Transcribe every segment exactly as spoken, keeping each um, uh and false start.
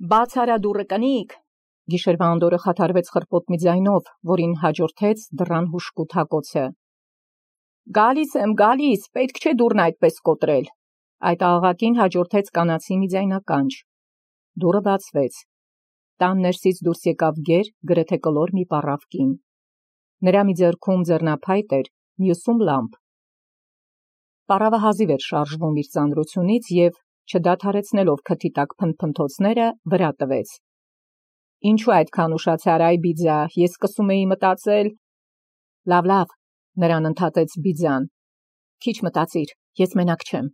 Բաց արա դուռը կնիկ։ Գիշերվա անդորը խաթարվեց խրպոտ մի ձայնով, որին հաջորդեց դռան հուշկուտ հակոցը։ Գալիս եմ, գալիս, պետք չէ դուռն այդպես կոտրել։ Այդ աղաղակին հաջորդեց կանացի մի ձայնականջ։ Դուռը բացվեց։ Տան ներսից դուրս եկավ գեր, գրեթե կլոր մի պառավ կին։ Նրա մի ձեռքում ձեռնափայտ էր, մյուսում լամպ։ Պառավը հազիվ էր շարժվում իր ծանրությունից և, չդադարեցնելով քթի տակ փնթփնթոցները, վրա տվեց։ Ինչու այդքան ուշացար, այ Բիձա, ես սկսում էի մտածել… Լավ, լավ, նրան ընդհատեց Բիձան։ Քիչ մտածիր, ես մենակ չեմ։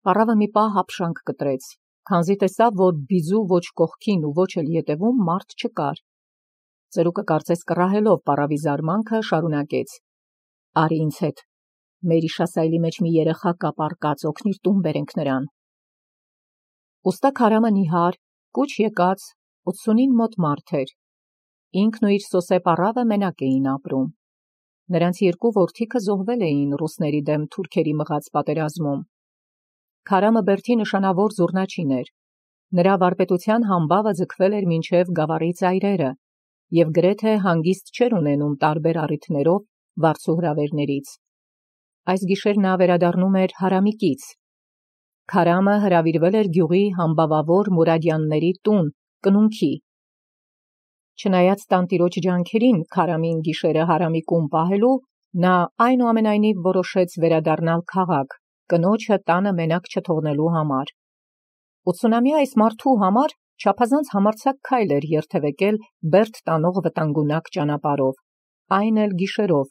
Պառավը մի պահ հապշանք կտրեց, քանզի տեսավ, որ Բիձու ոչ կողքին ու ոչ էլ ետևում մարդ չկար։ Ծերուկը կարծես կռահելով պառավի զարմանքը, շարունակեց. Արի ինձ հետ, մեր իշասայլի մեջ մի երեխա կա պառկած, օգնիր տուն բերենք նրան։ Ուստա Քարամը նիհար, կուչ եկած, ութսունին մոտ մարդ էր։ Ինքն ու իր սոսե պառավը մենակ էին ապրում։ Նրանց երկու որդիքը զոհվել էին ռուսների դեմ թուրքերի մղած պատերազմում։ Քարամը բերդի նշանավոր զուռնաչին էր։ Նրա վարպետության համբավը ձգվել էր մինչև գավառի ծայրերը, և գրեթե հանգիստ չէր ունենում տարբեր առիթներով վարձու հրավերներից։ Այս գիշեր նա վերադառնում էր Հարամիկից։ Քարամը հրավիրվել էր գյուղի համբավավոր Մուրադյանների տուն, կնունքի։ Չնայած տանտիրոջ ջանքերին Քարամին գիշերը Հարամիկում պահելու, նա այնուամենայնիվ որոշեց վերադառնալ քաղաք, կնոջը տանը մենակ չթողնելու համար։ ութսունամյա այս մարդու համար չափազանց համարձակ քայլ էր երթևեկել Բերդ տանող վտանգունակ ճանապարհով, այն էլ գիշերով,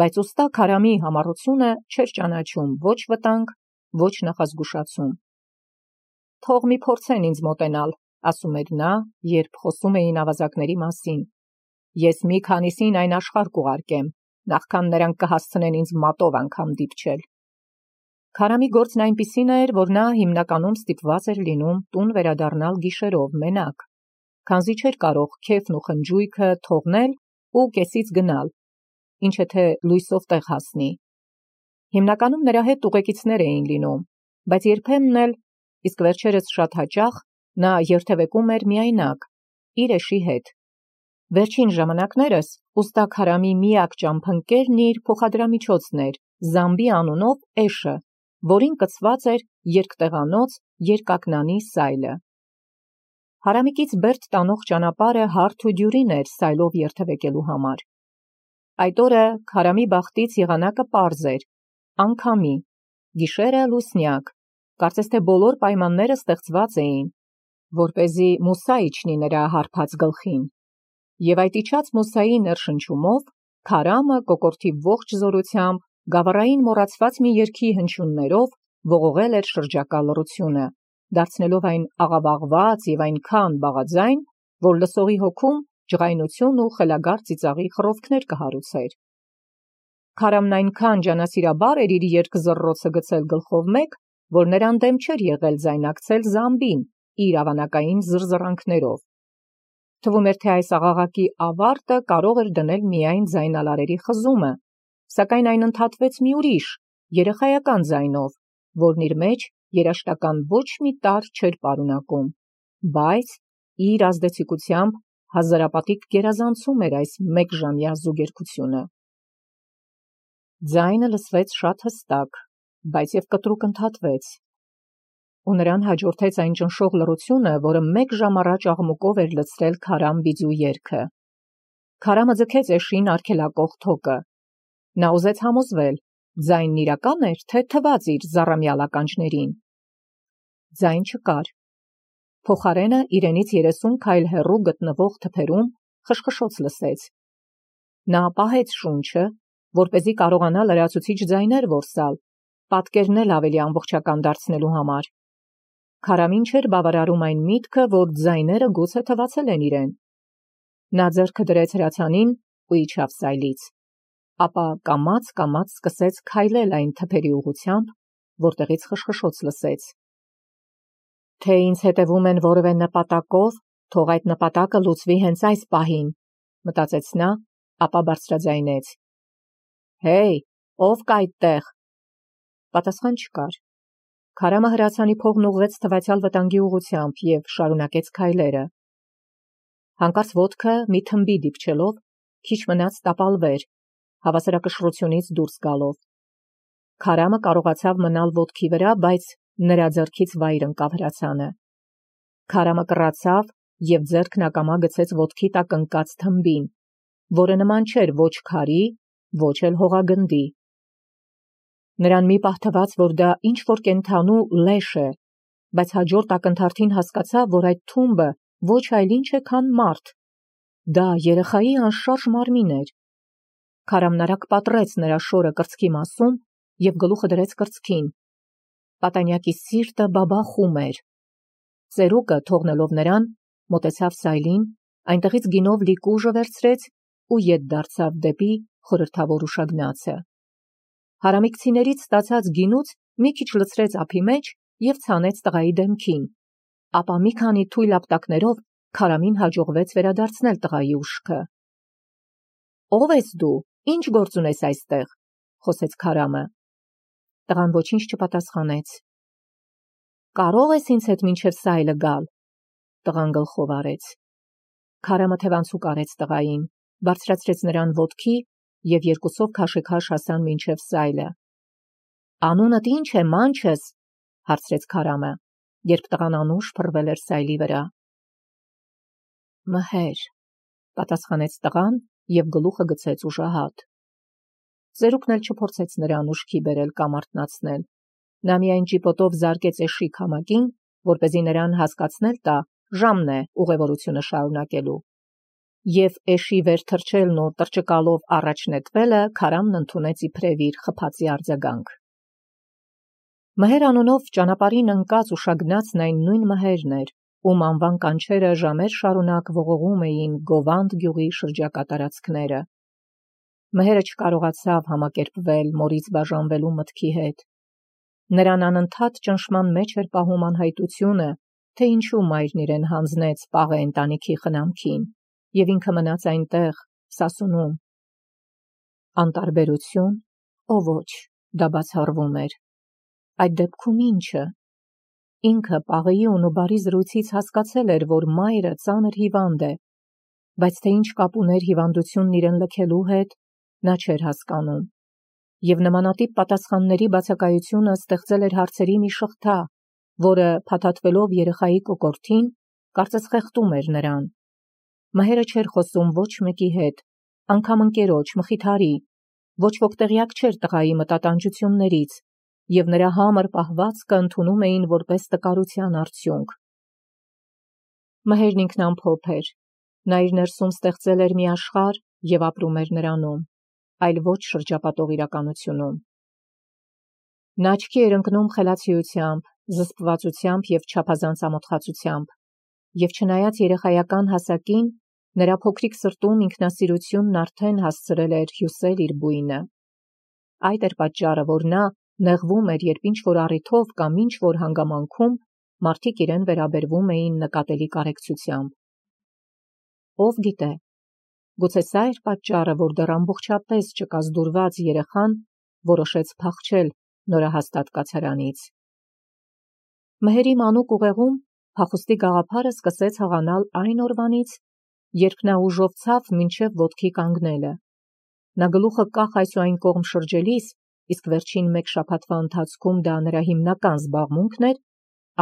բայց ուստա Քարամի համառությունը չէր ճանաչում ոչ վտանգ, ոչ նախազգուշացում։ Թող մի փորձեն ինձ մոտենալ, ասում էր նա, երբ խոսում էին ավազակների մասին։ Ես մի քանիսին այն աշխարհ կուղարկեմ, նախքան նրանք կհասցնեն ինձ մատով անգամ դիպչել։ Քարամի գործն այնպիսին էր, որ նա հիմնականում ստիպված էր լինում տուն վերադառնալ գիշերով մենակ, քանզի չէր կարող քեֆն ու խնջույքը թողնել ու կեսից գնալ, ինչը թե լույսով տեղ հասնի։ Հիմնականում նրա հետ ուղեկիցներ էին լինում, բայց երբեմն էլ, իսկ վերջերս շատ հաճախ, նա երթևեկում էր միայնակ, իր էշի հետ։ Վերջին ժամանակներս ուստա Քարամի միակ ճամփընկերն իր փոխադրամիջոցն էր, Զամբի անունով էշը, որին կցված էր երկտեղանոց երկակնանի սայլը։ Հարամիկից Բերդ տանող ճանապարհը հարթ ու դյուրին էր սայլով երթևեկելու համար։ Այդ օրը Քարամի բախտից եղանակը պարզ էր, անգամի, գիշերը լուսնյակ, կարծես թե բոլոր պայմանները ստեղծված էին, որպեսզի մուսա իջնի նրա հարբած գլխին։ Եվ այդ իջած մուսայի ներշնչումով Քարամը կոկորդի ողջ զորությամբ գավառային մոռացված մի երգի հնչյուններով ողողել էր շրջակա լռությունը, դարձնելով այն աղավաղված և այնքան բաղաձայն, որ լսողի հոգում ջղայնություն ու խելագար ծիծաղի խռովքներ կհարուցեր։ Քարամն այնքան ջանասիրաբար էր իր երգ-զռռոցը գցել գլխով մեկ, որ նրան դեմ չէր եղել ձայնակցել Զամբին իր ավանակային զռզռանքներով։ Թվում էր, թե այս աղաղակի ավարտը կարող էր դնել միայն ձայնալարերի խզումը, սակայն այն ընդհատվեց մի ուրիշ, երեխայական ձայնով, որն իր մեջ երաժշտական ոչ մի տարր չէր պարունակում, բայց իր ազդեցիկությամբ հազարապատիկ գերազանցում էր այս մեկժամյա զուգերգությունը։ Ձայնը լսվեց շատ հստակ, բայց և կտրուկ ընդհատվեց, ու նրան հաջորդեց այն ճնշող լռությունը, որը մեկ ժամ առաջ աղմուկով էր լցրել Քարամ Բիձու երգը։ Քարամը ձգեց էշին արգելակող թոկը։ Նա ուզեց համոզվել, ձայնն իրական էր, թե թվաց իր զառամյալ ականջներին։ Ձայն չկար։ Փոխարենը իրենից երեսուն քայլ հեռու գտնվող թփերում խշխշոց լսեց։ Նա պահեց շունչը, որպեսզի կարողանա լրացուցիչ ձայներ որսալ, պատկերն էլ ավելի ամբողջական դարձնելու համար։ Քարամին չէր բավարարում այն միտքը, որ ձայները գուցե թվացել են իրեն։ Նա ձեռքը դրեց հրացանին ու իջավ սայլից, ապա կամաց-կամաց սկսեց քայլել այն թփերի ուղղությամբ, որտեղից խշխշոց լսեց։ Թե ինձ հետևում են որևէ նպատակով, թող այդ նպատակը լուծվի հենց այս պահին, մտածեց նա, ապա բարձրաձայնեց. Հեյ, ով կա այդտեղ։ Պատասխան չկար։ Քարամը հրացանի փողն ուղղեց թվացյալ վտանգի ուղղությամբ և շարունակեց քայլերը։ Հանկարծ ոտքը մի թմբի դիպչելով, քիչ մնաց տապալվեր, հավասարակշռությունից դուրս գալով։ Քարամը կարողացավ մնալ ոտքի վրա, բայց նրա ձեռքից վայր ընկավ հրացանը։ Քարամը կռացավ և ձեռքն ակամա գցեց ոտքի տակ ընկած թմբին, որը նման չէր ոչ քարի, ոչ էլ հողագնդի։ Նրան մի պահ թվաց, որ դա ինչ-որ կենդանու լեշ է, բայց հաջորդ ակնթարթին հասկացավ, որ այդ թումբը ոչ այլ ինչ է, քան մարդ։ Դա երեխայի անշարժ մարմին էր։ Քարամն արագ պատռեց նրա շորը կրծքի մասում և գլուխը դրեց կրծքին։ Պատանյակի սիրտը բաբախում էր։ Ծերուկը, թողնելով նրան, մոտեցավ սայլին, այնտեղից գինով լի կուժը վերցրեց ու ետ դարձավ դեպի խորհրդավոր ուշագնացը։ Հարամիկցիներից ստացած գինուց մի քիչ լցրեց ափի մեջ և ցանեց տղայի դեմքին, ապա մի քանի թույլ ապտակներով Քարամին հաջողվեց վերադարձնել տղայի ուշքը։ «Ո՞վ ես դու, ինչ գործ ունես այստեղ», խոսեց Քարամը։ Տղան ոչինչ չպատասխանեց։ «Կարո՞ղ ես ինձ հետ մինչև սայլը գալ», տղան գլխով արեց։ Քարամը թևանցուկ արեց տղային, բարձրացրեց նրան ոտքի և երկուսով քաշեքաշ հասան մինչև սայլը։ «Անունդ ի՞նչ է, մանչս», հարցրեց Քարամը, երբ տղան անուշ փռվել էր սայլի վրա։ «Մհեր», պատասխանեց տղան և գլուխը գցեց ուժահատ։ Ծերուկն էլ չփորձեց նրան ուշքի բերել կամ արթնացնել։ Նա միայն ճիպոտով զարկեց էշի քամակին, որպեսզի նրան հասկացնել տա ժամն է ուղևորությունը շարունակելու։ Եվ էշի վեր թռչելն ու տռճկալով առաջ նետվելը Քարամն ընդունեց իբրև իր խփածի արձագանք։ Մհեր անունով ճանապարհին ընկած ուշագնացն այն նույն Մհերն էր, ում անվան կանչերը ժամեր շարունակ ողողում էին Գովանդ գյուղի շրջակա տարածքները։ Մհերը չկարողացավ համակերպվել մորից բաժանվելու մտքի հետ։ Նրան անընդհատ ճնշման մեջ էր պահում անհայտությունը, թե ինչու մայրն իրեն հանձնեց պաղ ընտանիքի խնամքին, և ինքը մնաց այնտեղ, Սասունում։ Անտարբերություն, օ ոչ, դա բացառվում էր։ Այդ դեպքում ի՞նչը։ Ինքը պաղեյուն ու բարի զրույցից հասկացել էր, որ մայրը ծանր հիվանդ է, բայց թե ինչ կապ ուներ հիվանդությունն իրեն լքելու հետ, նա չէր հասկանում։ Եվ նմանատիպ պատասխանների բացակայությունը ստեղծել էր հարցերի մի շղթա, որը, փաթաթվելով երեխայի կոկորդին, կարծես խեղդում էր նրան։ Մհերը չէր խոսում ոչ մեկի հետ, անգամ ընկերոջ, մխիթարի, ոչ ոք տեղյակ չէր տղայի մտատանջություններից, և նրա համր պահվածքը ընդունում էին որպես տկարության արդյունք։ Մհերն ինքնամփոփ էր։ Նա իր ներսում ստեղծել էր մի աշխարհ և ապրում էր նրանում, այլ ոչ շրջապատող իրականությունում։ Նա աչքի էր ընկնում խելացիությամբ, զսպվածությամբ և չափազանց ամոթխածությամբ, և չնայած երեխայական հասակին, նրա փոքրիկ սրտում ինքնասիրությունն արդեն հասցրել էր հյուսել իր բույնը։ Այդ էր պատճառը, որ նա նեղվում էր, երբ ինչ-որ առիթով կամ ինչ-որ հանգամանքում մարդիկ իրեն վերաբերվում էին նկատելի կարեկցությամբ։ Ով գիտե, գուցե սա էր պատճառը, որ դեռ ամբողջապես չկազդուրված երեխան որոշեց փախչել նորահաստատ կացարանից։ Մհերի մանուկ ուղեղում փախուստի գաղափարը սկսեց հաղանալ այն օրվանից, երբ նա ուժով ցավ մինչև ոտքի կանգնելը։ Նա գլուխը կախ այս ու այն կողմ շրջելիս, իսկ վերջին մեկ շաբաթվա ընթացքում դա նրա հիմնական զբաղմունքն էր,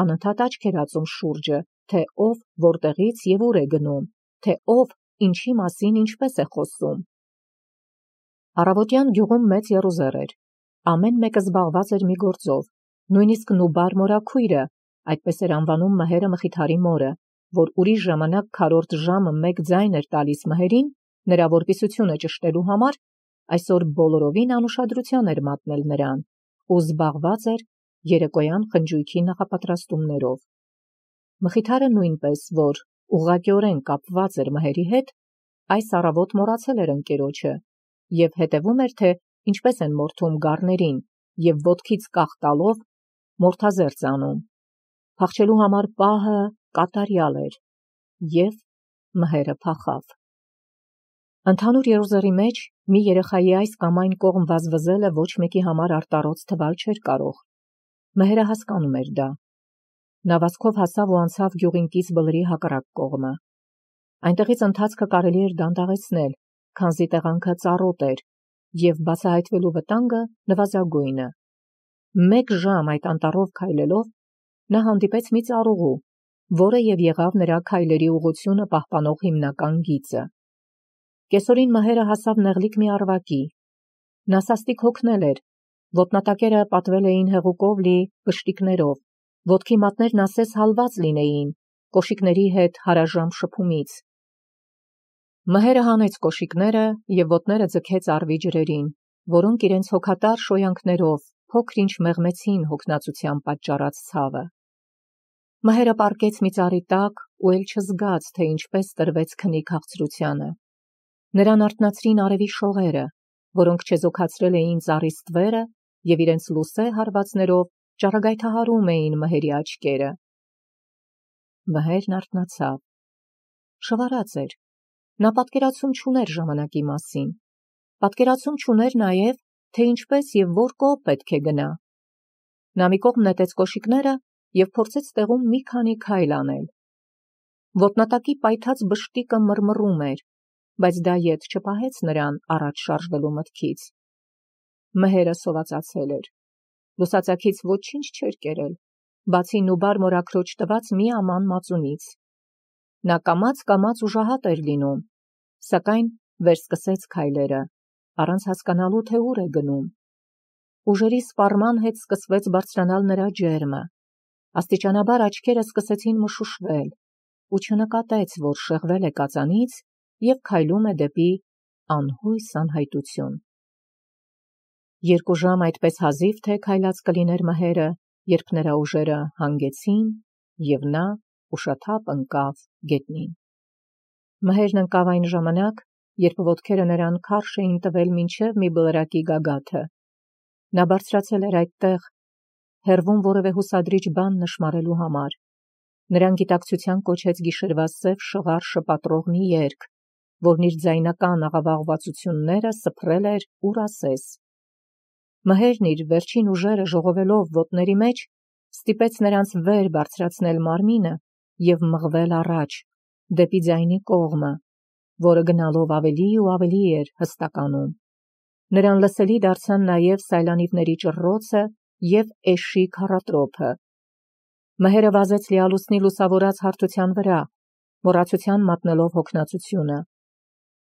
անընդհատ աչք էր ածում շուրջը, թե ով որտեղից և ուր է գնում, թե ով ինչի մասին ինչպես է խոսում։ Առավոտյան գյուղում մեծ եռուզեռ էր։ Ամեն մեկը զբաղված էր մի գործով, նույնիսկ Նուբար մորաքույրը, այդպես էր անվանում Մհերը մխիթարի մորը, որ ուրիշ ժամանակ քառորդ ժամը մեկ ձայն էր տալիս Մհերին նրա որպիսությունը ճշտելու համար, այսօր բոլորովին անուշադրության էր մատնել նրան ու զբաղված էր երեկոյան խնջույքի նախապատրաստումներով։ Մխիթարը նույնպես, որ ուղղակիորեն կապված էր Մհերի հետ, այս առավոտ մոռացել էր ընկերոջը և հետևում էր, թե ինչպես են մորթում գառներին և ոտքից կախ տալով մորթազերծ անում։ Փախչելու համար պահը կատարյալ էր, և Մհերը փախավ։ Ընդհանուր եռուզեռի մեջ մի երեխայի այս կամ այն կողմ վազվզելը ոչ մեկի համար արտառոց թվալ չէր կարող։ Մհերը հասկանում էր դա։ Նա վազքով հասավ ու անցավ գյուղին կից բլրի հակառակ կողմը։ Այնտեղից ընթացքը կարելի էր դանդաղեցնել, քանզի տեղանքը ծառոտ էր, և բացահայտվելու վտանգը նվազագույնը։ Մեկ ժամ այդ անտառով քայլելով նա հանդիպեց մի ծառուղու, որը և եղավ նրա քայլերի ուղղությունը պահպանող հիմնական գիծը։ Կեսօրին Մհերը հասավ նեղլիկ մի առվակի։ Նա սաստիկ հոգնել էր, ոտնատակերը պատվել էին հեղուկով լի բշտիկներով, ոտքի մատներն ասես հալված լինեին, կոշիկների հետ հարաժամ շփումից։ Մհերը հանեց կոշիկները և ոտները ձգեց առվի ջրերին, որոնք իրենց հոգատար շոյանքներով փոքր-ինչ մեղմեցին հոգնածության պատճառած ցավը։ Մհերը պառկեց մի ծառի տակ ու էլ չզգաց, թե ինչպես տրվեց քնի քաղցրությանը։ Նրան արթնացրին արևի շողերը, որոնք չեզոքացրել էին ծառի ստվերը և իրենց լուսե հարվածներով ճառագայթահարում էին Մհերի աչքերը։ Մհերն արթնացավ։ Շվարած էր։ Նա պատկերացում չուներ ժամանակի մասին։ Պատկերացում չուներ նաև, թե ինչպես և որ կողմ պետք է գնա։ Նա մի կողմ նետեց կոշիկները և փորձեց տեղում մի քանի քայլ անել։ Ոտնատակի պայթած բշտիկը մռմռում էր, բայց դա ետ չպահեց նրան առաջ շարժվելու մտքից։ Մհերը սովածացել էր։ Լուսածակից ոչինչ չէր կերել, բացի նուբար մորաքրոջ տված մի աման մածունից։ Նա կամաց-կամաց ուժահատ էր լինում, սակայն վերսկսեց քայլերը, առանց հասկանալու, թե ուր է գնում։ Ուժերի սպառման հետ սկսվեց բարձրանալ նրա ջերմը։ Աստիճանաբար աչքերը սկսեցին մշուշվել, ու չնկատեց, որ շեղվել է կածանից և քայլում է դեպի անհույս անհայտություն։ Երկու ժամ այդպես հազիվ թե քայլած կլիներ Մհերը, երբ նրա ուժերը հանգեցին, և նա ուշաթափ ընկավ գետնին։ Մհերն ընկավ այն ժամանակ, երբ ոտքերը նրան քարշ էին տվել մինչև մի բլրակի գագաթը։ Նա բարձրացել էր այդտեղ, հեռվում որևէ հուսադրիչ բան նշմարելու համար։ Նրան գիտակցության կոչեց գիշերվա սև շղար շպատրող մի երգ, որն իր ձայնական աղավաղվածությունները սփռել էր ուր ասես։ Մհերն իր վերջին ուժերը ժողովելով ոտների մեջ, ստիպեց նրանց վեր բարձրացնել մարմինը և մղվել առաջ, դեպի ձայնի կողմը, որը գնալով ավելի ու ավելի էր հստականում։ Նրան լսելի դարձան նաև սայլանիվների ճռռոցը և էշի քառատրոփը։ Մհերը վազեց լիալուսնի լուսավորած հարթության վրա, մոռացության մատնելով հոգնածությունը։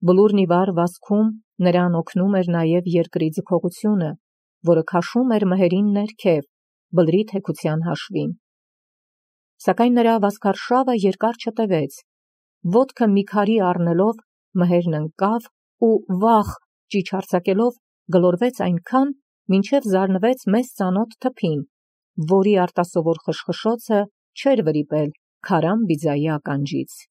Բլուրն ի վար վազքում նրան օգնում էր նաև երկրի ձգողությունը, որը քաշում էր Մհերին ներքև, բլրի թեքության հաշվին։ Սակայն նրա վազքարշավը երկար չտևեց։ Ոտքը մի քարի առնելով Մհերն ընկավ ու վախ ճիչ արձակելով գլորվեց այնքան, մինչև զարնվեց մեզ ծանոթ թփին, որի արտասովոր խշխշոցը չէր վրիպել քարան բիձայի ականջից։